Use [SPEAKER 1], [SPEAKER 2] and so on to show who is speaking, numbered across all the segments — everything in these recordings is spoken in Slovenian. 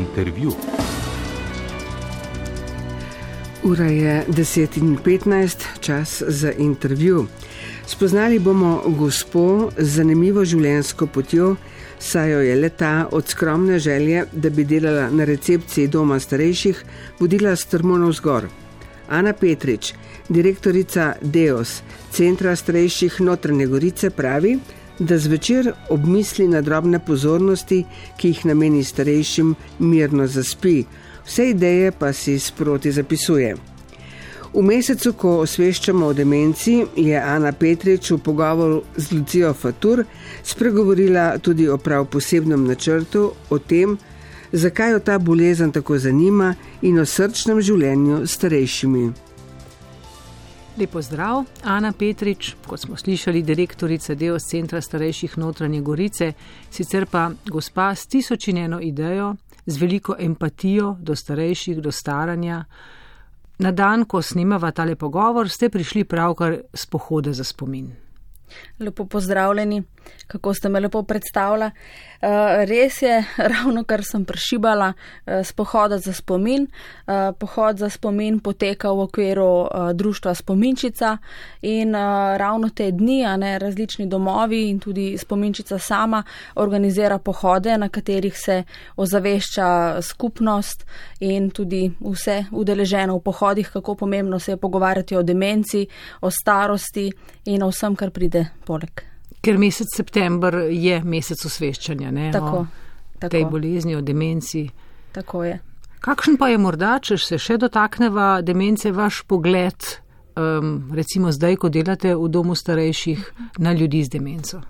[SPEAKER 1] Intervju.
[SPEAKER 2] Ura je 10:15, čas za intervju. Spoznali bomo gospo z zanimivo življenjsko potjo, saj jo je le-ta od skromne želje, da bi delala na recepciji doma starejših, vodila strmo navzgor. Ana Petrič, direktorica DEOS, Centra starejših Notranje Gorice, pravi, da zvečer obmisli na drobne pozornosti, ki jih nameni starejšim, mirno zaspi, vse ideje pa si sproti zapisuje. V mesecu, ko osveščamo o demenci, je Ana Petrič v pogovoru z Lucijo Fatur spregovorila tudi o prav posebnem načrtu, o tem, zakaj jo ta bolezen tako zanima in o srčnem življenju s starejšimi.
[SPEAKER 3] Lep pozdrav, Ana Petrič, kot smo slišali, direktorica DEOS Centra starejših Notranje Gorice, sicer pa gospa s 1001 idejo, z veliko empatijo do starejših, do staranja. Na dan, ko snemava tale pogovor, ste prišli pravkar s pohoda za spomin.
[SPEAKER 4] Lepo pozdravljeni, kako ste me lepo predstavila. Res je, ravno kar sem prešibala s pohoda za spomin. Pohod za spomin poteka v okviru društva Spominčica in ravno te dni, različni domovi in tudi Spominčica sama organizira pohode, na katerih se ozavešča skupnost in tudi vse udeleženo v pohodih, kako pomembno se je pogovarjati o demenci, o starosti in o vsem, kar pride poleg.
[SPEAKER 3] Ker mesec september je mesec osveščanja,
[SPEAKER 4] Tako.
[SPEAKER 3] O tej bolezni, o demenci.
[SPEAKER 4] Tako je.
[SPEAKER 3] Kakšen pa je morda, če se še dotakneva demence, vaš pogled, recimo zdaj, ko delate v domu starejših, na ljudi z demenco?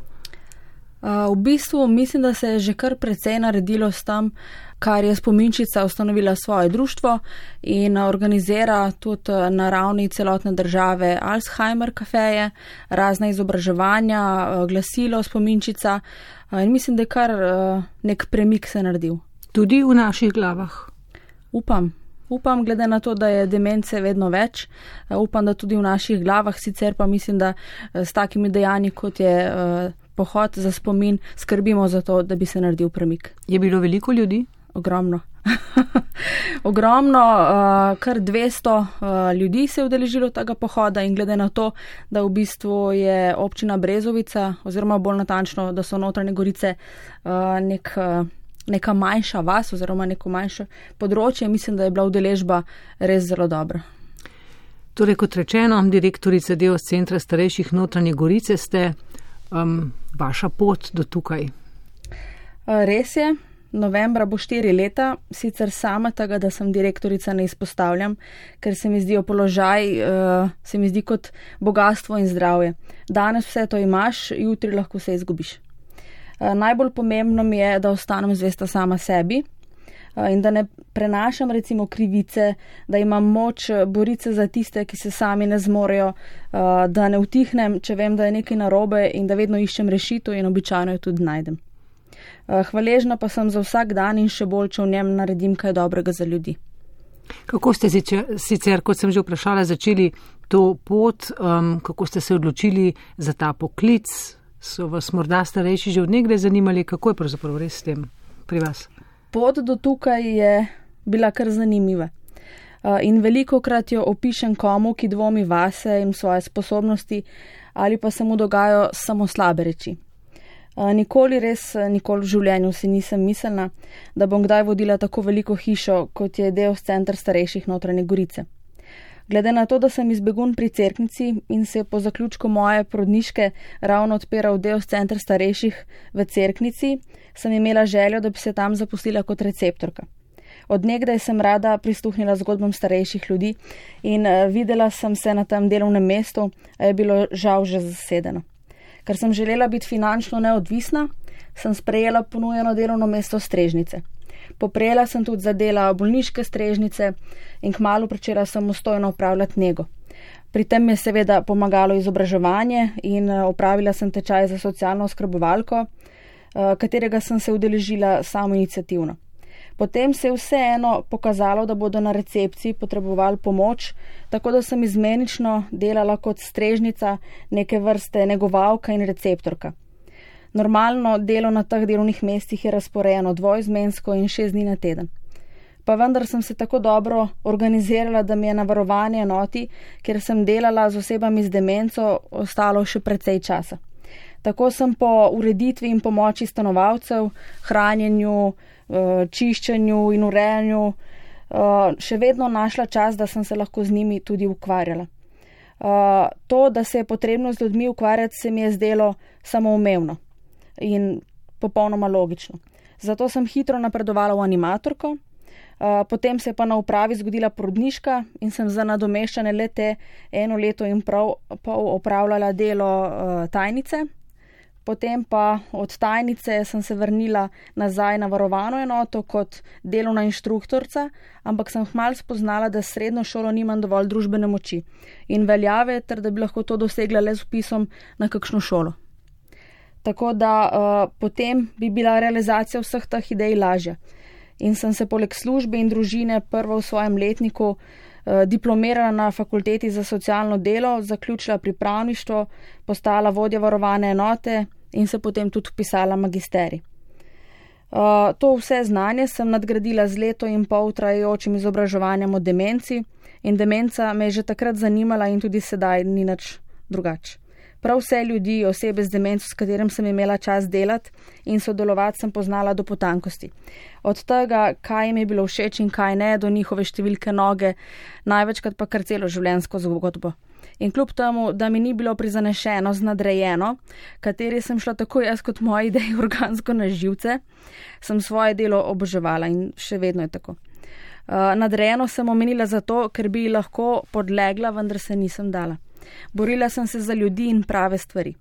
[SPEAKER 4] V bistvu mislim, da se je že kar precej naredilo s tem, kar je Spominčica ustanovila svoje društvo in organizira tudi na ravni celotne države Alzheimer kafeje, razne izobraževanja, glasilo Spominčica in mislim, da je kar nek premik se naredil.
[SPEAKER 3] Tudi v naših glavah?
[SPEAKER 4] Upam, glede na to, da je demence vedno več, upam, da tudi v naših glavah, sicer pa mislim, da s takimi dejanji, kot je pohod za spomin, skrbimo za to, da bi se naredil premik.
[SPEAKER 3] Je bilo veliko ljudi?
[SPEAKER 4] Ogromno. Ogromno, kar 200 ljudi se je udeležilo tega pohoda in glede na to, da v bistvu je občina Brezovica, oziroma bolj natančno, da so Notranje Gorice neka manjša vas oziroma neko manjše področje, mislim, da je bila udeležba res zelo dobra.
[SPEAKER 3] Torej, kot rečeno, direktorica DEOS Centra starejših Notranje Gorice ste, vaša pot do tukaj.
[SPEAKER 4] Res je, novembra bo 4 leta, sicer sama tega, da sem direktorica, ne izpostavljam, ker se mi zdi položaj, se mi zdi kot bogatstvo in zdravje. Danes vse to imaš, jutri lahko se izgubiš. Najbolj pomembno mi je, da ostanem zvesta sama sebi in da ne prenašam recimo krivice, da imam moč boriti se za tiste, ki se sami ne zmorejo, da ne utihnem, če vem, da je nekaj narobe in da vedno iščem rešitev in običajno jo tudi najdem. Hvaležna pa sem za vsak dan in še bolj, če v njem naredim kaj dobrega za ljudi.
[SPEAKER 3] Kako ste sicer, kot sem že vprašala, začeli to pot, kako ste se odločili za ta poklic? So vas morda starejši že od nekdaj zanimali, kako je pravzaprav res s tem pri vas?
[SPEAKER 4] Pot do tukaj je bila kar zanimiva. In velikokrat jo opišem komu, ki dvomi vase in svoje sposobnosti, ali pa se mu dogajajo samo slabe reči. Nikoli v življenju si nisem mislila, da bom kdaj vodila tako veliko hišo, kot je DEOS Center starejših Notranje Gorice. Glede na to, da sem iz Begunj pri Cerknici in se je po zaključku moje porodniške ravno odpiral DEOS Center starejših v Cerknici, sem imela željo, da bi se tam zaposlila kot receptorka. Od nekdaj sem rada prisluhnila zgodbam starejših ljudi in videla sem se na tem delovnem mestu, a je bilo žal že zasedeno. Ker sem želela biti finančno neodvisna, sem sprejela ponujeno delovno mesto strežnice. Poprejela sem tudi za dela bolniške strežnice in kmalu pričela samostojno upravljati nego. Pri tem je seveda pomagalo izobraževanje in opravila sem tečaj za socialno oskrbovalko, katerega sem se udeležila samoiniciativno. Potem se je vseeno pokazalo, da bodo na recepciji potrebovali pomoč, tako da sem izmenično delala kot strežnica, neke vrste negovalka in receptorka. Normalno delo na teh delovnih mestih je razporejeno dvoizmensko in 6 dni na teden. pa vendar sem se tako dobro organizirala, da mi je na varovani enoti, kjer sem delala z osebami z demenco, ostalo še precej časa. Tako sem po ureditvi in pomoči stanovalcev, hranjenju, čiščenju in urejanju še vedno našla čas, da sem se lahko z njimi tudi ukvarjala. To, da se je potrebno z ljudmi ukvarjati, se mi je zdelo samoumevno in popolnoma logično. Zato sem hitro napredovala v animatorko, potem se je pa na upravi zgodila porodniška in sem za nadomeščanje le-te 1 leto in pol opravljala delo tajnice. Potem pa od tajnice sem se vrnila nazaj na varovano enoto kot delovna inštruktorca, ampak sem hmal spoznala, da s srednjo šolo nimam dovolj družbene moči in veljave, ter da bi lahko to dosegla le z vpisom na kakšno šolo. Tako da potem bi bila realizacija vseh teh idej lažja. In sem se poleg službe in družine prvo v svojem letniku diplomirala na fakulteti za socialno delo, zaključila pripravništvo, postala vodja varovane enote in se potem tudi vpisala magisterij. To vse znanje sem nadgradila z 1,5 leta trajajočim izobraževanjem o demenci in demenca me je že takrat zanimala in tudi sedaj ni nič drugače. Prav vse ljudi, osebe z demenco, s katerim sem imela čas delati in sodelovati, sem poznala do potankosti. Od tega, kaj jim je bilo všeč in kaj ne, do njihove številke noge, največkrat pa kar celo življenjsko zgodbo. In kljub temu, da mi ni bilo prizanešeno z nadrejeno, kateri sem šla tako jaz kot moji ideji organsko na živce, sem svoje delo oboževala in še vedno je tako. Nadrejeno sem omenila zato, ker bi lahko podlegla, vendar se nisem dala. Borila sem se za ljudi in prave stvari.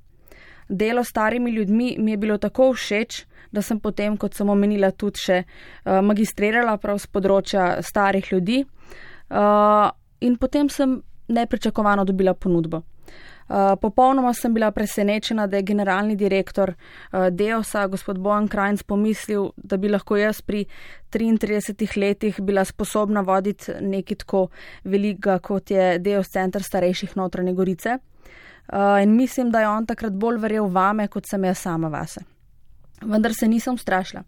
[SPEAKER 4] Delo s starimi ljudmi mi je bilo tako všeč, da sem potem, kot sem omenila, tudi še magistrirala prav z področja starih ljudi in potem sem nepričakovano dobila ponudbo. Popolnoma sem bila presenečena, da je generalni direktor Deosa, gospod Bojan Krajnc, pomislil, da bi lahko jaz pri 33 letih bila sposobna voditi nekaj tako velikega, kot je Deos center starejših Notranje Gorice. In mislim, da je on takrat bolj verjel vame, kot sem jaz sama vase. Vendar se nisem ustrašila.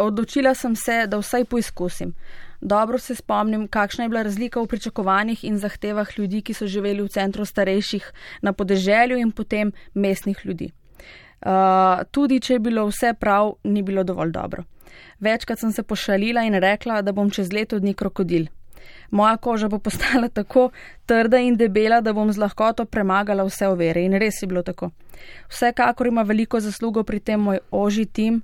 [SPEAKER 4] Odločila sem se, da vsaj poizkusim. Dobro se spomnim, kakšna je bila razlika v pričakovanjih in zahtevah ljudi, ki so živeli v centru starejših na podeželju in potem mestnih ljudi. Tudi, če je bilo vse prav, ni bilo dovolj dobro. Večkrat sem se pošalila in rekla, da bom čez leto dni krokodil. Moja koža bo postala tako trda in debela, da bom z lahkoto premagala vse ovire in res je bilo tako. Vsekakor ima veliko zaslugo pri tem moj ožji tim,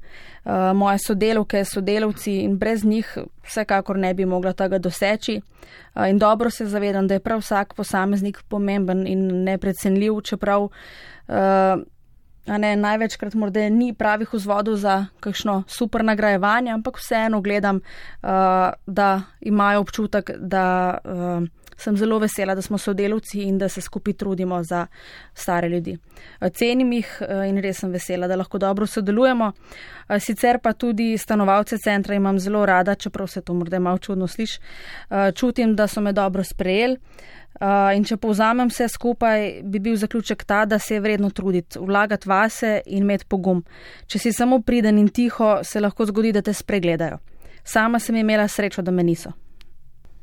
[SPEAKER 4] moje sodelavke, sodelavci in brez njih vsekakor ne bi mogla tega doseči. In dobro se zavedam, da je prav vsak posameznik pomemben in neprecenljiv, čeprav največkrat morda ni pravih vzvodov za kakšno super nagrajevanje, ampak vseeno gledam, da imajo občutek, da sem zelo vesela, da smo sodelavci in da se skupaj trudimo za stare ljudi. Cenim jih in res sem vesela, da lahko dobro sodelujemo. Sicer pa tudi stanovalce centra imam zelo rada, čeprav se to morda malo čudno sliši. Čutim, da so me dobro sprejeli. In če povzamem vse skupaj, bi bil zaključek ta, da se je vredno truditi, vlagati vase in imeti pogum. Če si samo priden in tiho, se lahko zgodi, da te spregledajo. Sama sem imela srečo, da me niso.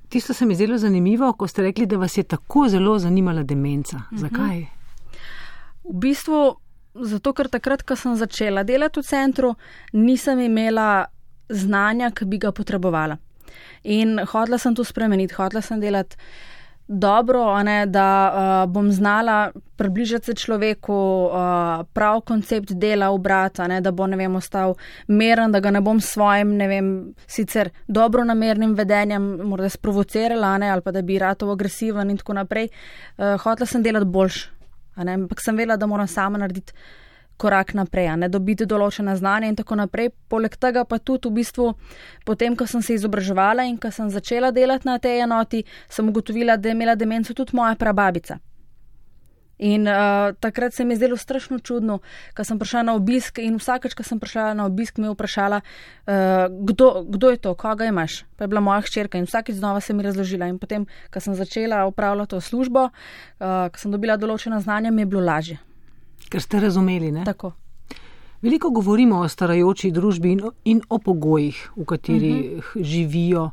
[SPEAKER 3] Tisto se mi zelo zanimivo, ko ste rekli, da vas je tako zelo zanimala demenca. Zakaj?
[SPEAKER 4] V bistvu zato, ker takrat, ko sem začela delati v centru, nisem imela znanja, ki bi ga potrebovala. In hotela sem to spremeniti, hotela sem delati dobro, da bom znala približati se človeku, prav koncept dela ubrati, da bo, ostal meren, da ga ne bom s svojim, sicer dobronamernim vedenjem morda sprovocirala, ali pa da bi ratov agresiven in tako naprej. Hotela sem delati boljš, ampak sem vedela, da moram sama narediti korak naprej, dobiti določena znanja in tako naprej. Poleg tega pa tudi v bistvu, potem, ko sem se izobraževala in ko sem začela delati na tej enoti, sem ugotovila, da je imela demenco tudi moja prababica. In takrat se mi je zdelo strašno čudno, ko sem prišla na obisk in vsakeč, ko sem prišla na obisk, me je vprašala, kdo je to, koga imaš? Pa je bila moja hčerka in vsakeč znova se mi razložila. In potem, ko sem začela opravljati to službo, ko sem dobila določena znanja, mi je bilo lažje.
[SPEAKER 3] Ker ste razumeli, ne?
[SPEAKER 4] Tako.
[SPEAKER 3] Veliko govorimo o starajoči družbi in o pogojih, v katerih živijo.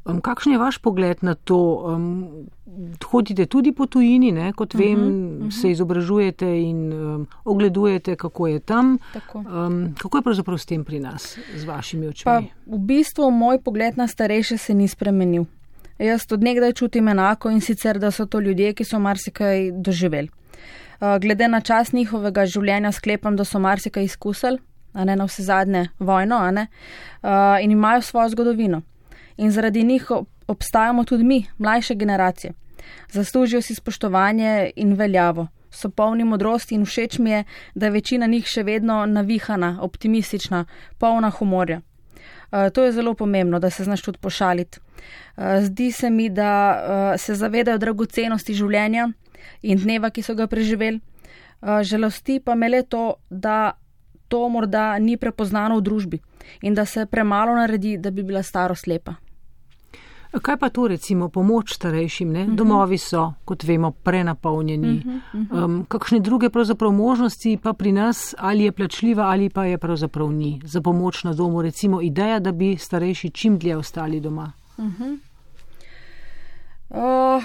[SPEAKER 3] Kakšen je vaš pogled na to? Hodite tudi po tujini, ne? Kot vem, se izobražujete in ogledujete, kako je tam. Kako je pravzaprav s tem pri nas, z vašimi očmi?
[SPEAKER 4] Pa v bistvu moj pogled na starejše se ni spremenil. Jaz od nekdaj čutim enako, in sicer, da so to ljudje, ki so marsikaj doživeli. Glede na čas njihovega življenja sklepam, da so marsikaj izkusili, a ne na vse zadnje vojno, a ne, in imajo svojo zgodovino. In zaradi njih obstajamo tudi mi, mlajše generacije. Zaslužijo si spoštovanje in veljavo. So polni modrosti in všeč mi je, da je večina njih še vedno navihana, optimistična, polna humorja. To je zelo pomembno, da se znaš tudi pošaliti. Zdi se mi, da se zavedajo dragocenosti življenja in dneva, ki so ga preživeli. Žalosti pa me le to, da to morda ni prepoznano v družbi in da se premalo naredi, da bi bila starost lepa.
[SPEAKER 3] Kaj pa to recimo pomoč starejšim, ne? Domovi so, kot vemo, prenapolnjeni. Kakšne druge pravzaprav možnosti pa pri nas, ali je plačljiva ali pa je pravzaprav ni za pomoč na domu, recimo ideja, da bi starejši čim dlje ostali doma?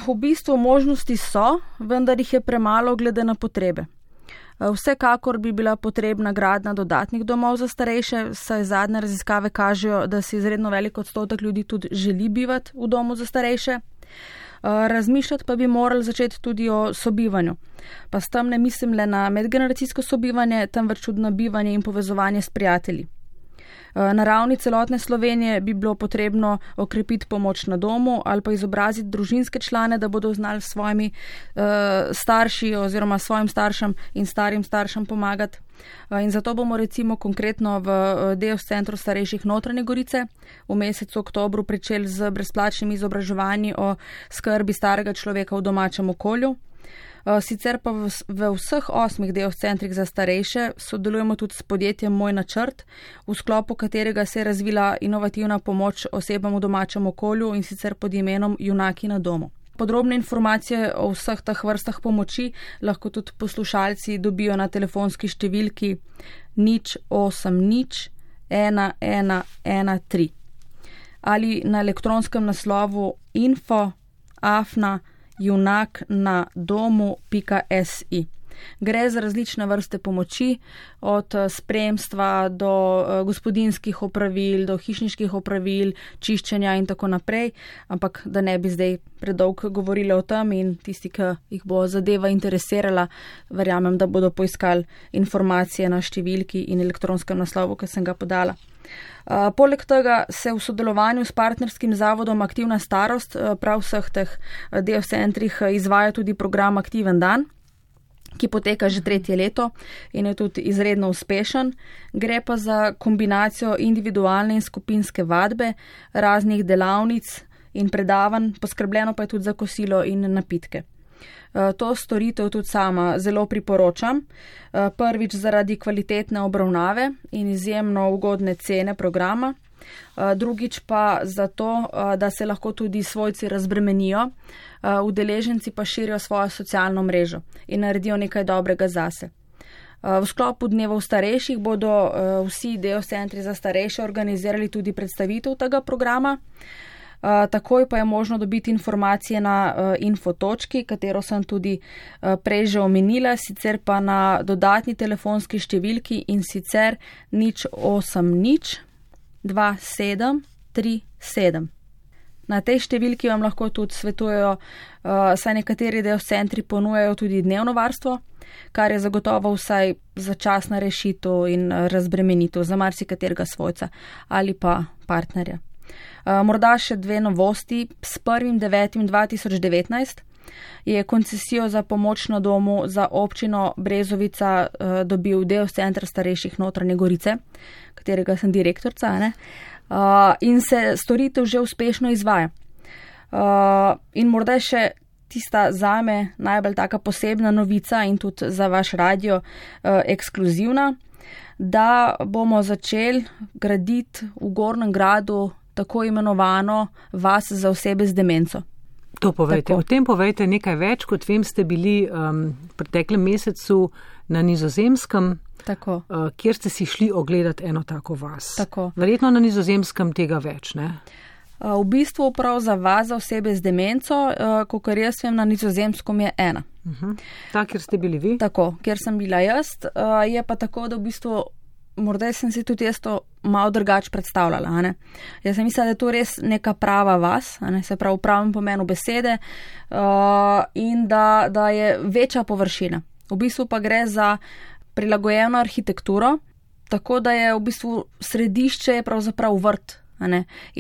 [SPEAKER 4] V bistvu možnosti so, vendar jih je premalo glede na potrebe. Vsekakor bi bila potrebna gradnja dodatnih domov za starejše, saj zadnje raziskave kažejo, da si izredno velik odstotek ljudi tudi želi bivati v domu za starejše. Razmišljati pa bi morali začeti tudi o sobivanju. Pa s tem ne mislim le na medgeneracijsko sobivanje, temveč tudi na bivanje in povezovanje s prijatelji. Na ravni celotne Slovenije bi bilo potrebno okrepiti pomoč na domu ali pa izobraziti družinske člane, da bodo znali svojimi starši oziroma svojim staršem in starim staršem pomagati. In zato bomo recimo konkretno v DEOS centru starejših Notranje Gorice v mesecu oktobru pričeli z brezplačnimi izobraževanji o skrbi starega človeka v domačem okolju. Sicer pa v vseh 8 DEOS centrih za starejše sodelujemo tudi s podjetjem Moj načrt, v sklopu katerega se je razvila inovativna pomoč osebam v domačem okolju, in sicer pod imenom Junaki na domu. Podrobne informacije o vseh teh vrstah pomoči lahko tudi poslušalci dobijo na telefonski številki 080 1113 ali na elektronskem naslovu info@junaknadomu.si. Gre za različne vrste pomoči, od spremstva do gospodinjskih opravil, do hišniških opravil, čiščenja in tako naprej, ampak da ne bi zdaj predolgo govorili o tem, in tisti, ki jih bo zadeva interesirala, verjamem, da bodo poiskali informacije na številki in elektronskem naslovu, ki sem ga podala. Poleg tega se v sodelovanju s partnerskim zavodom Aktivna starost prav vseh teh DEOS centrih izvaja tudi program Aktiven dan, ki poteka že 3. leto in je tudi izredno uspešen. Gre pa za kombinacijo individualne in skupinske vadbe, raznih delavnic in predavanj, poskrbljeno pa je tudi za kosilo in napitke. To storitev tudi sama zelo priporočam. Prvič zaradi kvalitetne obravnave in izjemno ugodne cene programa. Drugič pa zato, da se lahko tudi svojci razbremenijo, udeleženci pa širijo svojo socialno mrežo in naredijo nekaj dobrega zase. V sklopu dnevov starejših bodo vsi DEOS centri za starejše organizirali tudi predstavitev tega programa. Takoj pa je možno dobiti informacije na info.točki, katero sem tudi prej že omenila, sicer pa na dodatni telefonski številki, in sicer 080 2737. Na tej številki vam lahko tudi svetujejo, saj nekateri DEOS centri ponujajo tudi dnevno varstvo, kar je zagotovo vsaj začasna rešitev in razbremenitev za marsikaterega svojca ali pa partnerja. Morda še 2 novosti. S 1.9.2019 je koncesijo za pomoč na domu za občino Brezovica dobil DEOS center starejših Notranje Gorice, katerega sem direktorica, ne? In se storitev že uspešno izvaja. In morda še tista zame najbolj taka posebna novica in tudi za vaš radio ekskluzivna, da bomo začeli graditi v Gornjem Gradu tako imenovano vas za osebe z demenco.
[SPEAKER 3] To povejte. O tem povejte nekaj več, kot vem, ste bili v preteklem mesecu na Nizozemskem, kjer ste si šli ogledati eno tako vas.
[SPEAKER 4] Tako.
[SPEAKER 3] Verjetno na Nizozemskem tega več, ne?
[SPEAKER 4] V bistvu prav za vas, za osebe z demenco, kakor jaz vem, na Nizozemskem je ena.
[SPEAKER 3] Ta, kjer ste bili vi?
[SPEAKER 4] Tako, kjer sem bila jaz. Je pa tako, da v bistvu morda sem si tudi jaz to malo drugače predstavljala. A ne? Jaz sem mislila, da je to res neka prava vas, a ne? Se pravi v pravem pomenu besede, in da je večja površina. V bistvu pa gre za prilagojeno arhitekturo, tako da je v bistvu središče je pravzaprav vrt.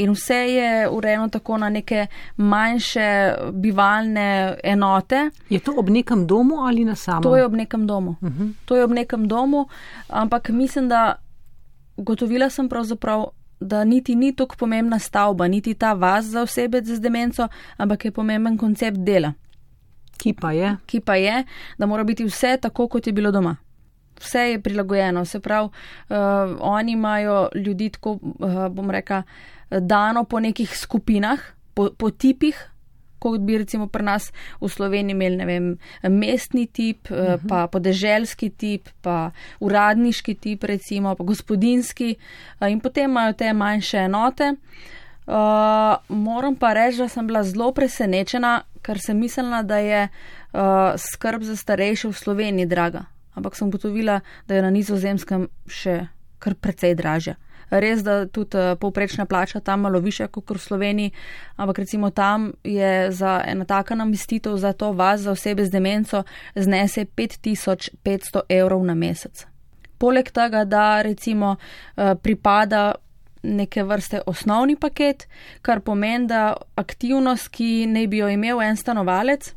[SPEAKER 4] In vse je urejeno tako na neke manjše bivalne enote.
[SPEAKER 3] Je to ob nekem domu ali na samem?
[SPEAKER 4] To je ob nekem domu. To je ob nekem domu, ampak mislim, da gotovila sem pravzaprav, da niti ni tako pomembna stavba, niti ta vas za osebe z demenco, ampak je pomemben koncept dela.
[SPEAKER 3] Ki pa je,
[SPEAKER 4] da mora biti vse tako, kot je bilo doma. Vse je prilagojeno, se pravi, oni imajo ljudi tako, bom rekla, dano po nekih skupinah, po tipih, kot bi recimo pri nas v Sloveniji imeli, ne vem, mestni tip, pa podeželski tip, pa uradniški tip recimo, pa gospodinski, in potem imajo te manjše enote. Moram pa reči, da sem bila zelo presenečena, ker sem mislila, da je skrb za starejše v Sloveniji draga. Ampak sem ugotovila, da je na Nizozemskem še kar precej dražja. Res, da tudi povprečna plača tam malo višja kot v Sloveniji, ampak recimo tam je za ena taka namestitev za to vas, za osebe z demenco, znese 5500 evrov na mesec. Poleg tega, da recimo pripada neke vrste osnovni paket, kar pomeni, da aktivnost, ki naj bi jo imel en stanovalec,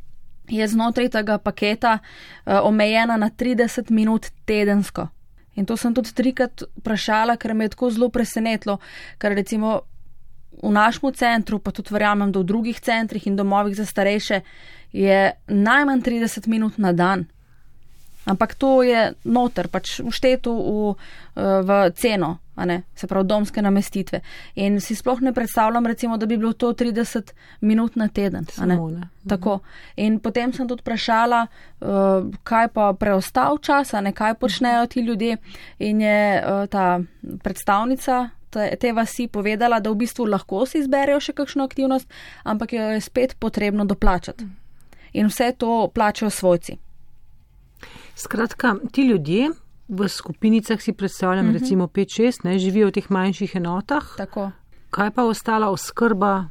[SPEAKER 4] je znotraj tega paketa omejena na 30 minut tedensko. In to sem tudi 3krat vprašala, ker me je tako zelo presenetilo, ker recimo v našem centru, pa tudi verjamem, da v drugih centrih in domovih za starejše je najmanj 30 minut na dan. Ampak to je noter, pač všteto v ceno, a ne, se pravi domske namestitve. In si sploh ne predstavljam, recimo, da bi bilo to 30 minut na teden. A ne? Tako. In potem sem tudi vprašala, kaj pa preostal čas, a ne, kaj počnejo ti ljudje. In je ta predstavnica te vasi povedala, da v bistvu lahko si izberejo še kakšno aktivnost, ampak jo je spet potrebno doplačati. In vse to plačajo svojci.
[SPEAKER 3] Skratka, ti ljudje v skupinicah, si predstavljam, recimo 5-6, živijo v teh manjših enotah.
[SPEAKER 4] Tako.
[SPEAKER 3] Kaj pa ostala oskrba?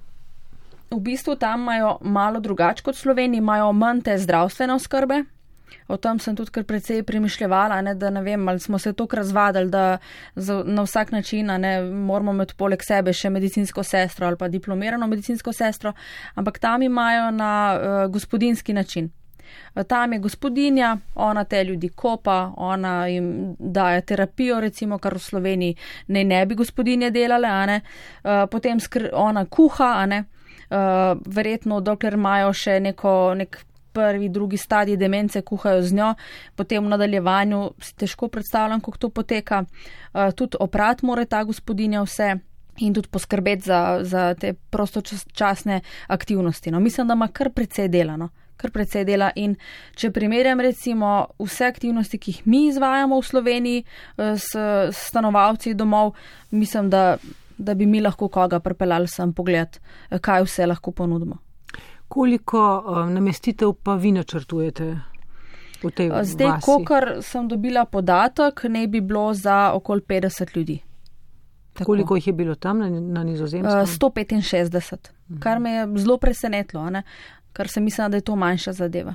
[SPEAKER 4] V bistvu tam imajo malo drugače kot v Sloveniji, imajo manj te zdravstvene oskrbe. O tem sem tudi kar precej premišljevala, da ne vem, ali smo se toliko razvadili, da na vsak način moramo imeti poleg sebe še medicinsko sestro ali pa diplomirano medicinsko sestro, ampak tam imajo na gospodinski način. Tam je gospodinja, ona te ljudi kopa, ona jim daje terapijo, recimo, kar v Sloveniji ne bi gospodinje delale, potem ona kuha, verjetno dokler imajo še nek prvi, drugi stadij demence, kuhajo z njo, potem v nadaljevanju si težko predstavljam, kako to poteka. Tudi oprat mora ta gospodinja vse in tudi poskrbeti za te prostočasne aktivnosti. Mislim, da ima kar precej dela, in če primerjam recimo vse aktivnosti, ki jih mi izvajamo v Sloveniji s stanovalci domov, mislim, da bi mi lahko koga pripeljali sem pogled, kaj vse lahko ponudimo.
[SPEAKER 3] Koliko namestitev pa vi načrtujete v tej vasi?
[SPEAKER 4] Zdaj, kolikor sem dobila podatek, ne bi bilo za okoli 50 ljudi.
[SPEAKER 3] Tako. Koliko jih je bilo tam na Nizozemskem?
[SPEAKER 4] 165, kar me je zelo presenetilo, ker sem mislila, da je to manjša zadeva.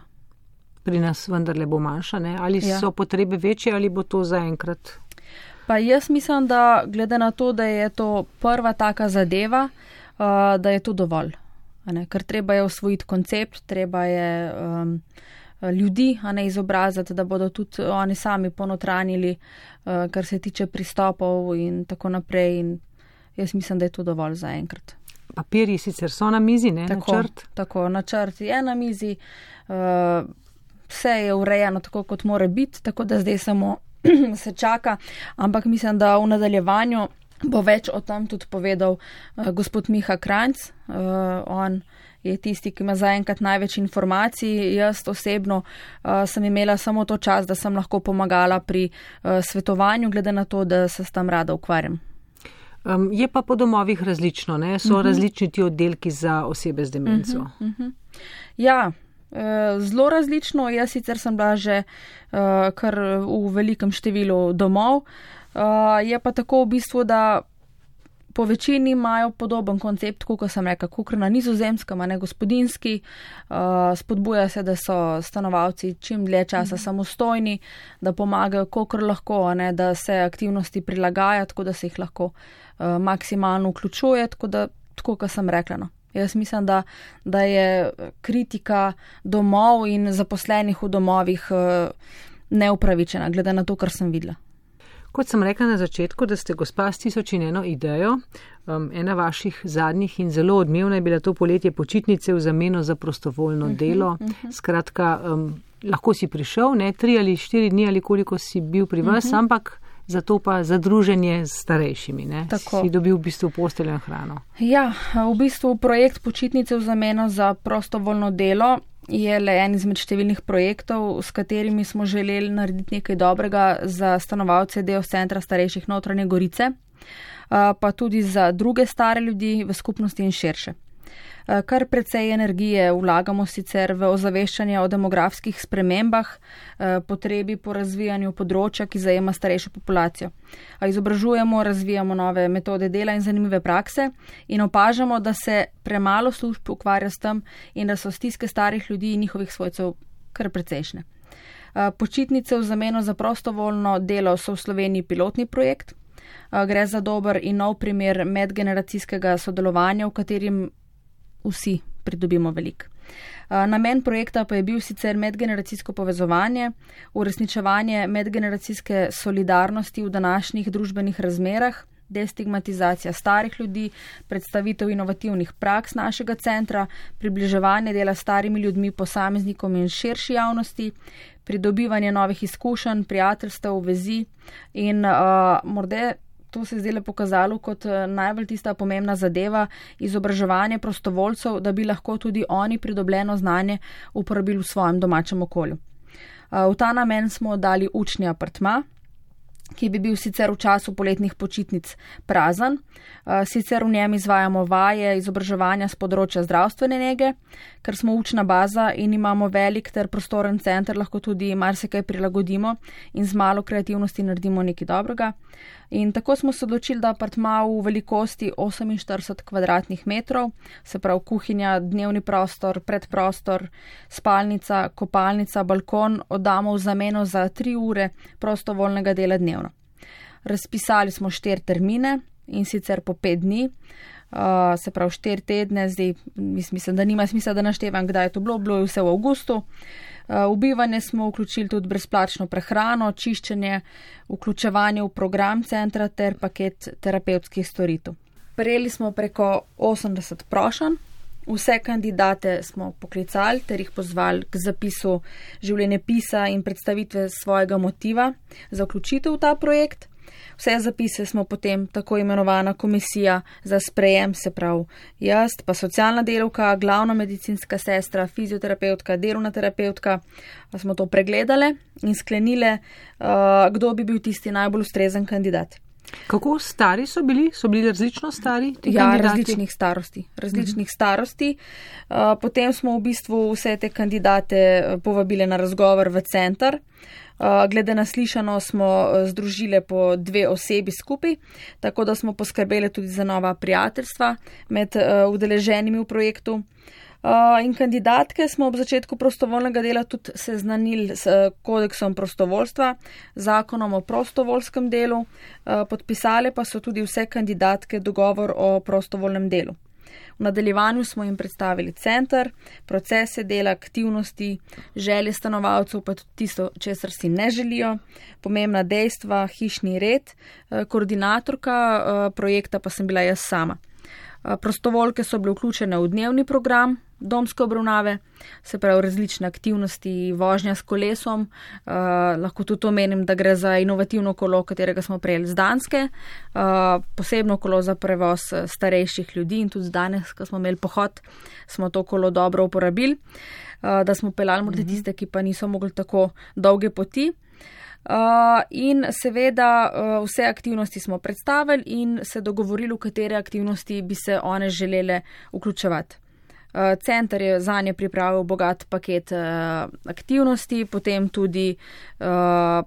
[SPEAKER 3] Pri nas vendarle bo manjša, ne? Ali so potrebe večje ali bo to zaenkrat?
[SPEAKER 4] Pa jaz mislim, da glede na to, da je to prva taka zadeva, da je to dovolj. Ker treba je osvojiti koncept, treba je ljudi izobraziti, da bodo tudi oni sami ponotranili, kar se tiče pristopov in tako naprej. In jaz mislim, da je to dovolj zaenkrat.
[SPEAKER 3] Papirji sicer so na mizi, ne? Načrt?
[SPEAKER 4] Tako, načrt je na mizi, vse je urejeno tako, kot mora biti, tako da zdaj samo se čaka, ampak mislim, da v nadaljevanju bo več o tem tudi povedal gospod Miha Kranjc. On je tisti, ki ima zaenkrat največ informacij. Jaz osebno sem imela samo to čas, da sem lahko pomagala pri svetovanju, glede na to, da se s tem rada ukvarjam.
[SPEAKER 3] Je pa po domovih različno, ne? So različni ti oddelki za osebe z demenco.
[SPEAKER 4] Ja, zelo različno. Jaz sicer sem bila že kar v velikem številu domov. Je pa tako v bistvu, da po večini imajo podoben koncept, kot sem rekla, kakor na Nizozemskem, a ne gospodinjski. Spodbuja se, da so stanovalci čim dlje časa samostojni, da pomagajo, kakor lahko, a ne, da se aktivnosti prilagaja, tako da se jih lahko maksimalno vključuje, tako kot sem rekla. No. Jaz mislim, da je kritika domov in zaposlenih v domovih neupravičena, glede na to, kar sem videla.
[SPEAKER 3] Kot sem rekla na začetku, da ste gospa s 1001 idejo, ena vaših zadnjih in zelo odmevna je bila to poletje počitnice v zameno za prostovoljno delo. Skratka, lahko si prišel, ne, 3 ali 4 dni ali koliko si bil pri vas, ampak zato pa za druženje s starejšimi, ne, si dobil v bistvu posteljo in hrano. Ja,
[SPEAKER 4] v bistvu projekt počitnice v zameno za prostovoljno delo je le en izmed številnih projektov, s katerimi smo želeli narediti nekaj dobrega za stanovalce Deos centra starejših Notranje Gorice, pa tudi za druge stare ljudi v skupnosti in širše. Kar precej energije vlagamo sicer v ozaveščanje o demografskih spremembah, potrebi po razvijanju področja, ki zajema starejšo populacijo. Izobražujemo, razvijamo nove metode dela in zanimive prakse in opažamo, da se premalo služb ukvarja s tem in da so stiske starih ljudi in njihovih svojcev kar precejšnje. Počitnice v zameno za prostovoljno delo so v Sloveniji pilotni projekt. Gre za dober in nov primer medgeneracijskega sodelovanja, v katerim vsi pridobimo veliko. Namen projekta pa je bil sicer medgeneracijsko povezovanje, uresničevanje medgeneracijske solidarnosti v današnjih družbenih razmerah, destigmatizacija starih ljudi, predstavitev inovativnih praks našega centra, približevanje dela starimi ljudmi posameznikom in širši javnosti, pridobivanje novih izkušenj, prijateljstev, vezi in morda to se je zdaj pokazalo kot najbolj tista pomembna zadeva, izobraževanje prostovoljcev, da bi lahko tudi oni pridobljeno znanje uporabili v svojem domačem okolju. V ta namen smo dali učni apartma, ki bi bil sicer v času poletnih počitnic prazen. Sicer v njem izvajamo vaje izobraževanja z področja zdravstvene nege, ker smo učna baza in imamo velik ter prostoren center, lahko tudi marsikaj prilagodimo in z malo kreativnosti naredimo nekaj dobrega. In tako smo se odločili, da apartma v velikosti 48 kvadratnih metrov, se pravi kuhinja, dnevni prostor, predprostor, spalnica, kopalnica, balkon, oddamo v zameno za 3 ure prostovoljnega dela dnevno. Razpisali smo 4 termine in sicer po 5 dni, se pravi 4 tedne, zdaj mislim, da nima smisla, da naštevam, kdaj je to bilo je vse v avgustu. V bivanje smo vključili tudi brezplačno prehrano, čiščenje, vključevanje v program centra ter paket terapevtskih storitev. Prejeli smo preko 80 prošenj, vse kandidate smo poklicali ter jih pozvali k zapisu življenjepisa in predstavitve svojega motiva za vključitev v ta projekt. Vse zapise smo potem tako imenovana komisija za sprejem, se pravi jaz, pa socialna delavka, glavna medicinska sestra, fizioterapeutka, delovna terapeutka, smo to pregledale in sklenile, kdo bi bil tisti najbolj ustrezen kandidat.
[SPEAKER 3] Kako stari so bili? So bili različno stari ti
[SPEAKER 4] kandidati?
[SPEAKER 3] Ja,
[SPEAKER 4] različnih starosti. Potem smo v bistvu vse te kandidate povabile na razgovor v center. Glede na slišano smo združile po 2 osebi skupaj, tako da smo poskrbeli tudi za nova prijateljstva med udeleženimi v projektu. In kandidatke smo ob začetku prostovoljnega dela tudi seznanili s kodeksom prostovoljstva, zakonom o prostovoljskem delu, podpisale pa so tudi vse kandidatke dogovor o prostovoljnem delu. V nadaljevanju smo jim predstavili center, procese dela, aktivnosti, želje stanovalcev, pa tudi tisto, česar si ne želijo, pomembna dejstva, hišni red, koordinatorka projekta pa sem bila jaz sama. Prostovoljke so bile vključene v dnevni program, domske obravnave, se pravi različne aktivnosti, vožnja s kolesom, lahko tudi omenim, da gre za inovativno kolo, katerega smo prejeli z Danske, posebno kolo za prevoz starejših ljudi in tudi danes, ko smo imeli pohod, smo to kolo dobro uporabili, da smo peljali morda tiste, ki pa niso mogli tako dolge poti. In seveda vse aktivnosti smo predstavili in se dogovorili, v katere aktivnosti bi se one želele vključevati. Center je zanje pripravil bogat paket aktivnosti, potem tudi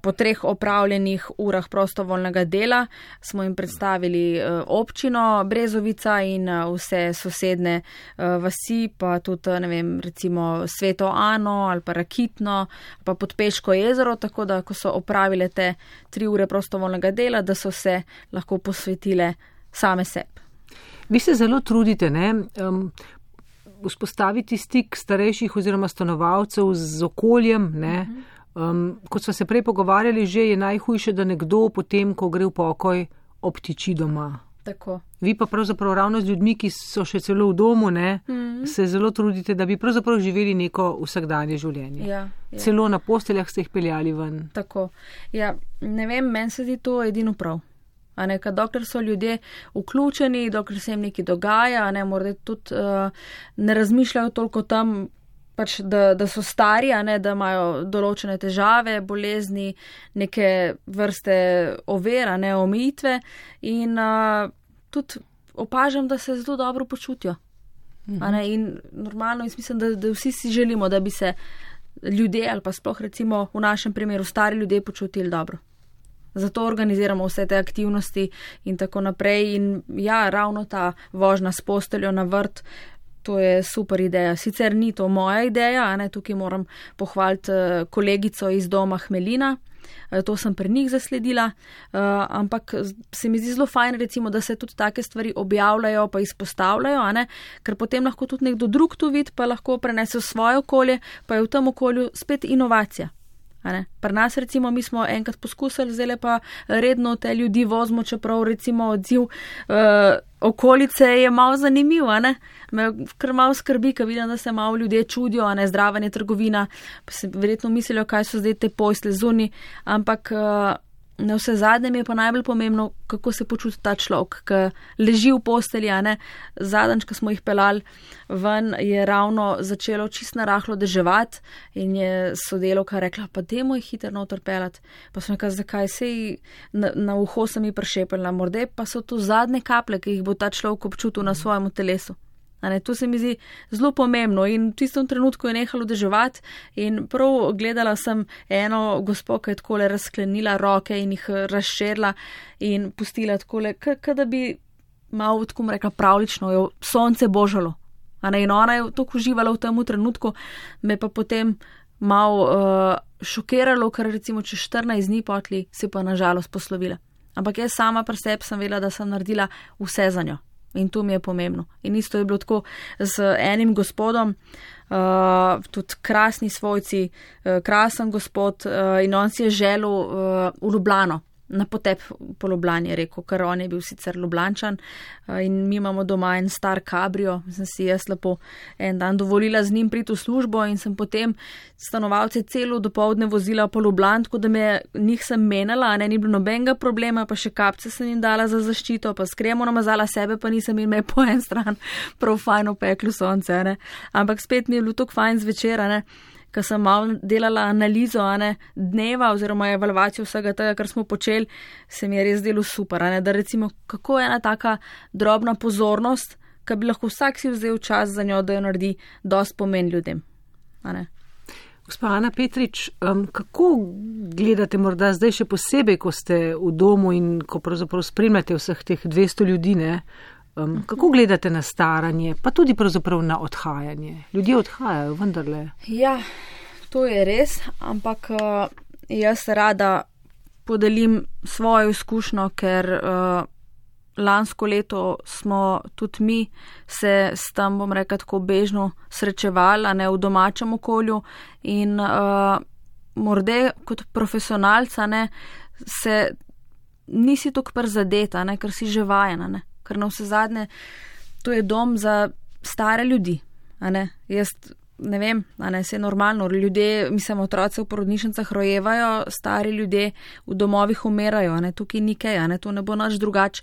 [SPEAKER 4] po 3 opravljenih urah prostovoljnega dela smo jim predstavili občino Brezovica in vse sosedne vasi, pa tudi, ne vem, recimo Sveto Ano ali pa Rakitno, pa Podpeško jezero, tako da, ko so opravile te 3 ure prostovoljnega dela, da so se lahko posvetile same sebi.
[SPEAKER 3] Vi se zelo trudite, ne? Vzpostaviti stik starejših oziroma stanovalcev z okoljem, ne. Kot smo se prej pogovarjali, že je najhujše, da nekdo potem, ko gre v pokoj, obtiči doma.
[SPEAKER 4] Tako.
[SPEAKER 3] Vi pa pravzaprav ravno z ljudmi, ki so še celo v domu, ne, se zelo trudite, da bi pravzaprav živeli neko vsakdanje življenje.
[SPEAKER 4] Ja.
[SPEAKER 3] Celo na posteljah ste jih peljali ven.
[SPEAKER 4] Tako. Ja, ne vem, meni se zdi to edino prav. Dokler so ljudje vključeni, dokler se jim nekaj dogaja, morda tudi ne razmišljajo toliko tam, pač, da so stari, da imajo določene težave, bolezni, neke vrste ovira, omejitve in tudi opažam, da se zelo dobro počutijo. In normalno, jaz mislim, da vsi si želimo, da bi se ljudje ali pa sploh recimo v našem primeru stari ljudje počutili dobro. Zato organiziramo vse te aktivnosti in tako naprej. In ja, ravno ta vožnja s posteljo na vrt, to je super ideja. Sicer ni to moja ideja, tukaj moram pohvaliti kolegico iz doma Hmelina, to sem pri njih zasledila, ampak se mi zdi zelo fajn, recimo, da se tudi take stvari objavljajo pa izpostavljajo, ker potem lahko tudi nekdo drug to vidi, pa lahko prenese v svoje okolje, pa je v tem okolju spet inovacija. Pri nas recimo mi smo enkrat poskusili, zdaj pa redno te ljudi vozimo, čeprav recimo odziv okolice je malo zanimiv, me kar malo skrbi, ko vidim, da se malo ljudje čudijo, zdravanje trgovina, pa se verjetno mislijo, kaj so zdaj te posle zunaj, ampak na vse zadnje mi je pa najbolj pomembno, kako se počuti ta človek, ki leži v postelji, Zadnjič, ko smo jih peljali ven, je ravno začelo čisto narahlo deževati in je sodelavka rekla, pa dajmo jih hitro noter peljati. Pa sem rekla, zakaj, sej na uho sem jih prišepela, morda pa so to zadnje kaplje, ki jih bo ta človek občutil na svojem telesu. To se mi zdi zelo pomembno in v tistem trenutku je nehalo deževati in prav gledala sem eno gospo, ki je takole razklenila roke in jih razširila in pustila takole, da bi malo, tako bom rekla, pravlično jo sonce božalo. In ona je tako uživala v tem trenutku, me pa potem malo šokiralo, ker recimo čez 14 dni potli se pa nažalost poslovila. Ampak jaz sama pri sebi sem vedela, da sem naredila vse za njo. In to mi je pomembno. In isto je bilo tako z enim gospodom, tudi krasni svojci, krasen gospod in on si je želel v Ljubljano, na potep po Ljubljani, je rekel, ker on je bil sicer Ljubljančan in mi imamo doma en star kabrio, sem si jaz lepo en dan dovolila z njim priti v službo in sem potem stanovalce celo dopoldne vozila po Ljubljani, tako da njih sem menjala, ni bilo nobenega problema, pa še kapce sem jim dala za zaščito, pa s kremo namazala sebe, pa nisem jim po en stran prav fajn opeklo sonce, ampak spet mi je bilo tako fajn zvečer, ko sem malo delala analizo dneva oziroma evalvacijo vsega tega, kar smo počeli, se mi je res delo super, da recimo, kako je ena taka drobna pozornost, ki bi lahko vsak si vzel čas za njo, da jo naredi dosti pomen ljudem.
[SPEAKER 3] Gospa Ana Petrič, kako gledate morda zdaj še posebej, ko ste v domu in ko pravzaprav spremljate vseh teh 200 ljudi, kako gledate na staranje, pa tudi pravzaprav na odhajanje? Ljudje odhajajo, vendarle.
[SPEAKER 4] Ja, to je res, ampak jaz rada podelim svojo izkušnjo, ker lansko leto smo tudi mi se s tem, bom rekla, tako bežno srečevali, v domačem okolju in morda kot profesionalca se nisi tako prizadeta, ker si že vajena, ker na vse zadnje to je dom za stare ljudi. Jaz ne vem, vse je normalno. Ljudje, mislim, otroci v porodnišnicah rojevajo, stari ljudje v domovih umirajo, tukaj ni kaj, to ne bo nič drugače.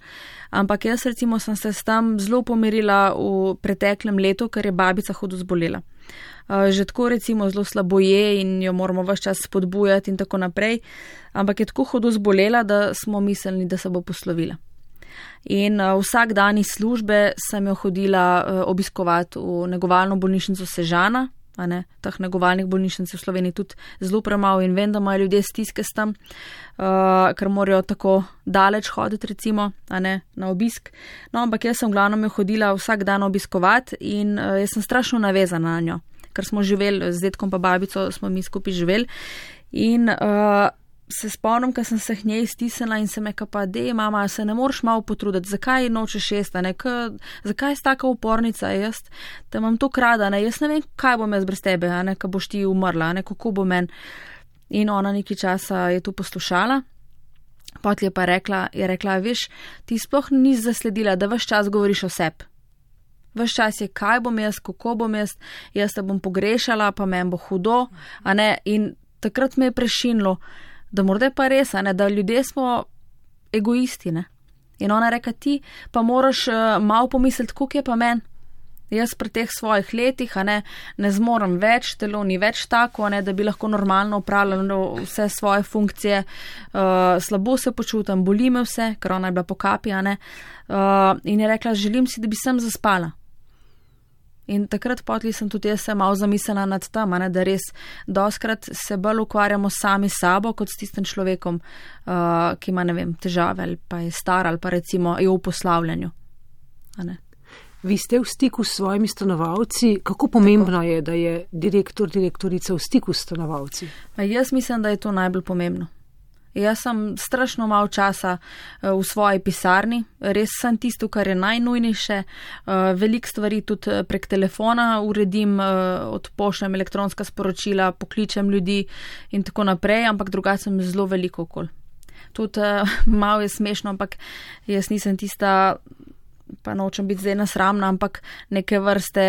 [SPEAKER 4] Ampak jaz recimo sem se s tem zelo pomirila v preteklem letu, ker je babica hudo zbolela. Že tako recimo zelo slabo je in jo moramo ves čas spodbujati in tako naprej, ampak je tako hudo zbolela, da smo mislili, da se bo poslovila. In vsak dan iz službe sem jo hodila obiskovati v negovalno bolnišnico Sežana, teh negovalnih bolnišnic v Sloveniji tudi zelo premalo in vem, da imajo ljudje stiske s tem, ker morajo tako daleč hoditi recimo, na obisk. No, ampak jaz sem glavno jo hodila vsak dan obiskovati in jaz sem strašno navezana na njo, ker smo živeli z dedkom pa babico, smo mi skupaj živeli in se spomnim, ker sem se k njej stisnila in sem rekla pa, dej mama, se ne moreš malo potruditi, zakaj nočeš jesti, zakaj si taka upornica, jaz te imam to krada, jaz ne vem, kaj bom jaz brez tebe, ko boš ti umrla, kako bo men. In ona nekaj časa je to poslušala, potem je pa rekla, veš, ti sploh nisi zasledila, da ves čas govoriš o sebi. Ves čas je, kaj bom jaz, kako bom jaz te bom pogrešala, pa men bo hudo, in takrat me je prešinilo, da morda je pa res, da ljudje smo egoisti. In ona reka, ti pa moraš malo pomisliti, koliko je pa men. Jaz pri teh svojih letih ne zmorem več, telo ni več tako, da bi lahko normalno upravljala vse svoje funkcije, slabo se počutam, boli me vse, ker ona je bila po kapi, in je rekla, želim si, da bi sem zaspala. In takrat potli sem tudi jaz se malo zamislila nad tem, da res doskrat se bolj ukvarjamo sami sabo, kot s tistim človekom, ki ima, ne vem, težave ali pa je star ali pa recimo je v poslavljanju.
[SPEAKER 3] Vi ste v stiku s svojimi stanovalci. Kako pomembno je, da je direktorica v stiku s stanovalci?
[SPEAKER 4] Jaz mislim, da je to najbolj pomembno. Jaz sem strašno malo časa v svoji pisarni, res sem tisto, kar je najnujnejše, veliko stvari tudi prek telefona uredim, odpošljem elektronska sporočila, pokličem ljudi in tako naprej, ampak drugače sem zelo veliko okoli. Tudi malo je smešno, ampak jaz nisem tista, pa nočem biti zdaj nasramna, ampak neke vrste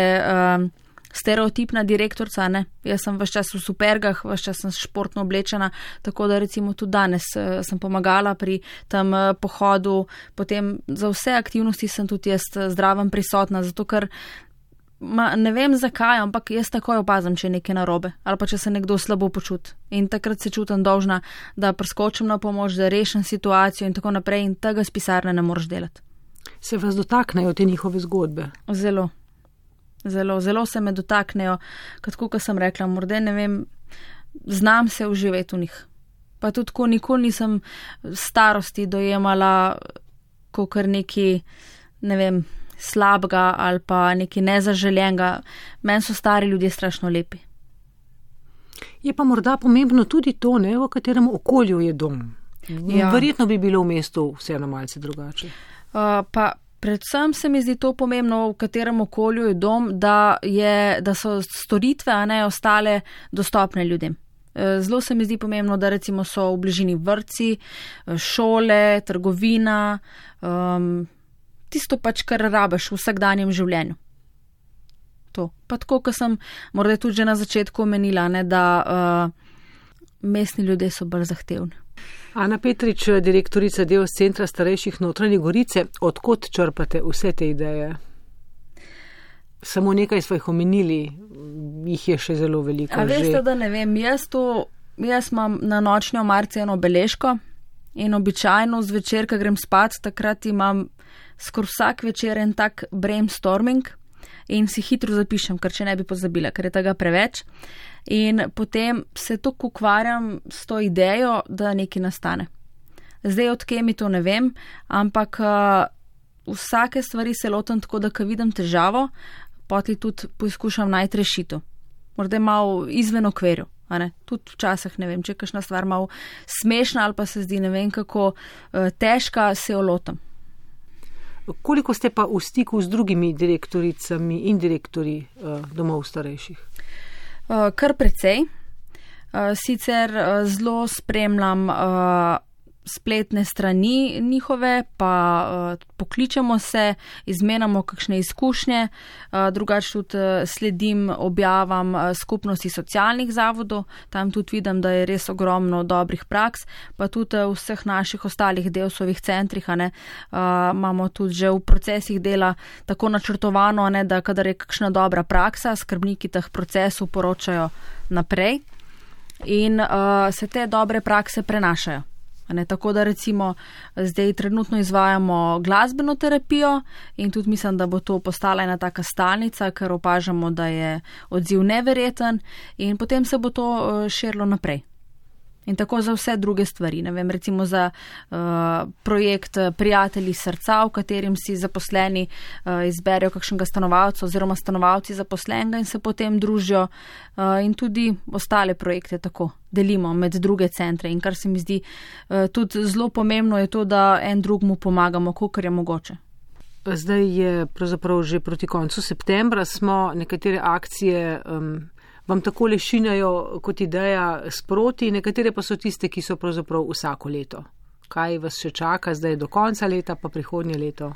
[SPEAKER 4] stereotipna direktorica, Jaz sem ves čas v supergah, ves čas sem športno oblečena, tako da recimo tudi danes sem pomagala pri tem pohodu, potem za vse aktivnosti sem tudi jaz zdraven prisotna, zato ker ne vem zakaj, ampak jaz takoj opazim, če je nekaj narobe ali pa če se nekdo slabo počuti. In takrat se čutim dolžna, da preskočim na pomoč, da rešim situacijo in tako naprej in tega z pisarne ne moreš delati.
[SPEAKER 3] Se vas dotaknejo te njihove zgodbe?
[SPEAKER 4] Zelo se me dotaknejo, kot sem rekla, morda ne vem, znam se uživeti v njih. Pa tudi ko nikoli nisem starosti dojemala kakor neki, ne vem, slabega ali pa neki nezaželjenega. Meni so stari ljudje strašno lepi.
[SPEAKER 3] Je pa morda pomembno tudi to, v katerem okolju je dom. Ja. Verjetno bi bilo v mestu vseeno malce drugače.
[SPEAKER 4] Pa predvsem se mi zdi to pomembno, v katerem okolju je dom, da so storitve, ostale dostopne ljudem. Zelo se mi zdi pomembno, da recimo so v bližini vrtci, šole, trgovina, tisto pač, kar rabiš v vsakdanjem življenju. To. Pa tako, kot sem morda tudi že na začetku omenila, da mestni ljudje so bolj zahtevni.
[SPEAKER 3] Ana Petrič, direktorica Deos Centra starejših Notranje Gorice, odkot črpate vse te ideje? Samo nekaj smo jih omenili, jih je še zelo veliko.
[SPEAKER 4] A veste, da ne vem, jaz imam na nočni omarci eno beležko in običajno zvečer, ko grem spat, takrat imam skoraj vsak večer en tak brainstorming in si hitro zapišem, ker če ne bi pozabila, ker je tega preveč. In potem se tako ukvarjam s to idejo, da nekaj nastane. Zdaj odkje mi to ne vem, ampak vsake stvari se lotam tako, da ko vidim težavo, potem tudi poskušam najti rešitev. Morda malo izven okvirja. Tudi včasih ne vem, če je kakšna stvar malo smešna ali pa se zdi ne vem kako težka, se jo lotam.
[SPEAKER 3] Koliko ste pa v stiku z drugimi direktoricami in direktorji domov starejših?
[SPEAKER 4] Kar precej. Sicer zelo spremljam spletne strani njihove, pa pokličemo se, izmenjamo kakšne izkušnje, drugače tudi sledim objavam skupnosti socialnih zavodov, tam tudi vidim, da je res ogromno dobrih praks, pa tudi v vseh naših ostalih Deusovih centrih, imamo tudi že v procesih dela tako načrtovano, da kadar je kakšna dobra praksa, skrbniki teh procesov poročajo naprej in se te dobre prakse prenašajo. Tako da recimo zdaj trenutno izvajamo glasbeno terapijo in tudi mislim, da bo to postala ena taka stalnica, ker opažamo, da je odziv neverjeten in potem se bo to širilo naprej. In tako za vse druge stvari, ne vem, recimo za projekt Prijatelji srca, v katerim si zaposleni izberejo kakšnega stanovalca oziroma stanovalci zaposlenega in se potem družijo in tudi ostale projekte tako delimo med druge centre. In kar se mi zdi tudi zelo pomembno je to, da en drugmu pomagamo, kolikor je mogoče.
[SPEAKER 3] Zdaj je pravzaprav že proti koncu septembra, smo nekatere akcije vam tako lešinajo kot ideja sproti, nekatere pa so tiste, ki so pravzaprav vsako leto. Kaj vas še čaka zdaj do konca leta, pa prihodnje leto?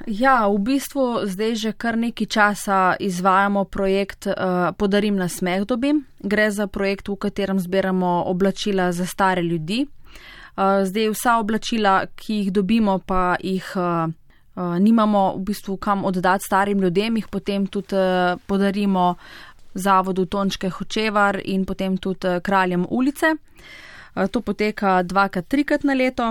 [SPEAKER 4] Ja, v bistvu zdaj že kar nekaj časa izvajamo projekt Podarim nasmeh dobim. Gre za projekt, v katerem zbiramo oblačila za stare ljudi. Zdaj vsa oblačila, ki jih dobimo, pa jih nimamo v bistvu kam oddati starim ljudem, jih potem tudi podarimo zavodu Tončke Hočevar in potem tudi Kraljem ulice. To poteka 2-3 na leto.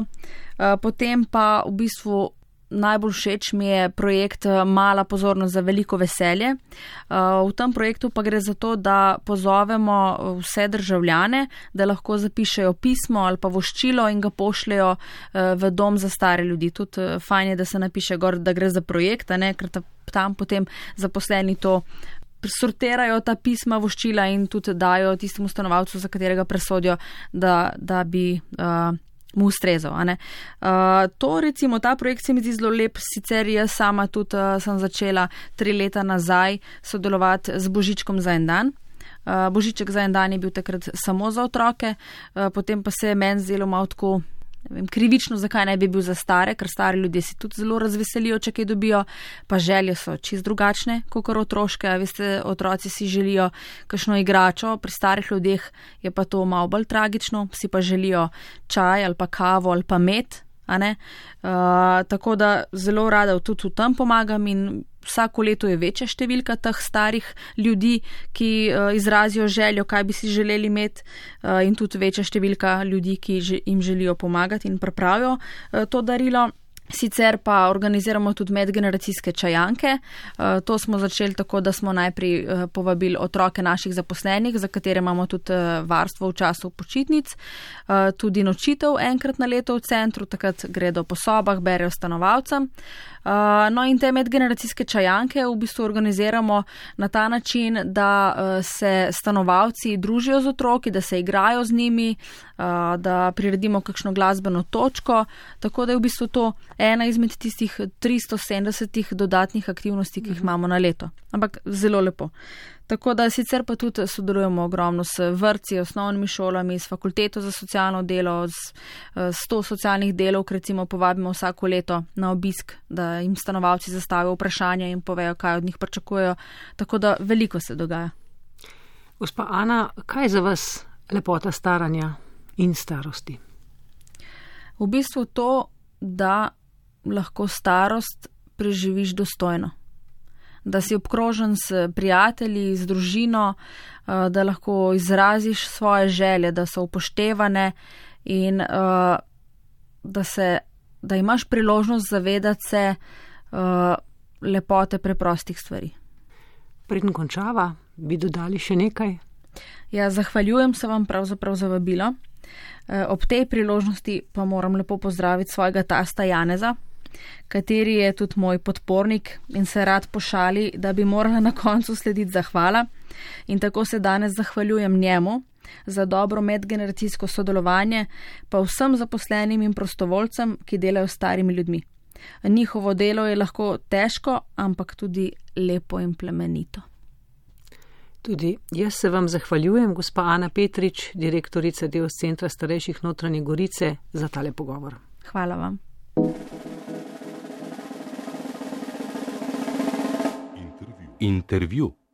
[SPEAKER 4] Potem pa v bistvu najbolj všeč mi je projekt Mala pozornost za veliko veselje. V tem projektu pa gre za to, da pozovemo vse državljane, da lahko zapišejo pismo ali pa voščilo in ga pošljejo v dom za stare ljudi. Tudi fajn je, da se napiše gor, da gre za projekt, ker tam potem zaposleni to sortirajo ta pisma, voščila in tudi dajo tistemu stanovalcu, za katerega presodijo, da bi mu ustrezal. To recimo, ta projekt se mi zdi zelo lep, sicer jaz sama tudi sem začela 3 leta nazaj sodelovati z Božičkom za en dan. Božiček za en dan je bil takrat samo za otroke, potem pa se je meni zdelo malo tako, ne vem, krivično, zakaj ne bi bil za stare, ker stari ljudje si tudi zelo razveselijo, če kaj dobijo, pa želje so čist drugačne, kakor otroške. Veste, otroci si želijo kakšno igračo, pri starih ljudeh je pa to malo bolj tragično, si pa želijo čaj ali pa kavo ali pa med, tako da zelo rada tudi v tem pomagam in vsako leto je večja številka teh starih ljudi, ki izrazijo željo, kaj bi si želeli imeti, in tudi večja številka ljudi, ki jim želijo pomagati in pripravijo to darilo. Sicer pa organiziramo tudi medgeneracijske čajanke. To smo začeli tako, da smo najprej povabili otroke naših zaposlenih, za katere imamo tudi varstvo v času počitnic, tudi nočitev enkrat na leto v centru, takrat gredo po sobah, berejo stanovalcem. No in te medgeneracijske čajanke v bistvu organiziramo na ta način, da se stanovalci družijo z otroki, da se igrajo z njimi, da priredimo kakšno glasbeno točko, tako da je v bistvu to ena izmed tistih 370 dodatnih aktivnosti, ki jih imamo na leto. Ampak zelo lepo. Tako da sicer pa tudi sodelujemo ogromno s vrtci, osnovnimi šolami, s fakulteto za socialno delo, s 100 socialnih delovk, recimo povabimo vsako leto na obisk, da jim stanovalci zastavijo vprašanja in povejo, kaj od njih pričakujejo. Tako da veliko se dogaja.
[SPEAKER 3] Gospa Ana, kaj je za vas lepota staranja in starosti?
[SPEAKER 4] V bistvu to, da lahko starost preživiš dostojno. Da si obkrožen s prijatelji, z družino, da lahko izraziš svoje želje, da so upoštevane in da imaš priložnost zavedati se lepote preprostih stvari.
[SPEAKER 3] Preden končava, bi dodali še nekaj?
[SPEAKER 4] Ja, zahvaljujem se vam pravzaprav za vabilo. Ob tej priložnosti pa moram lepo pozdraviti svojega tasta Janeza, kateri je tudi moj podpornik in se rad pošali, da bi morala na koncu slediti zahvala. In tako se danes zahvaljujem njemu za dobro medgeneracijsko sodelovanje, pa vsem zaposlenim in prostovoljcem, ki delajo s starimi ljudmi. Njihovo delo je lahko težko, ampak tudi lepo in plemenito.
[SPEAKER 3] Tudi jaz se vam zahvaljujem, gospa Ana Petrič, direktorica Deos Centra starejših Notranje Gorice, za tale pogovor.
[SPEAKER 4] Hvala vam.
[SPEAKER 1] Intervju.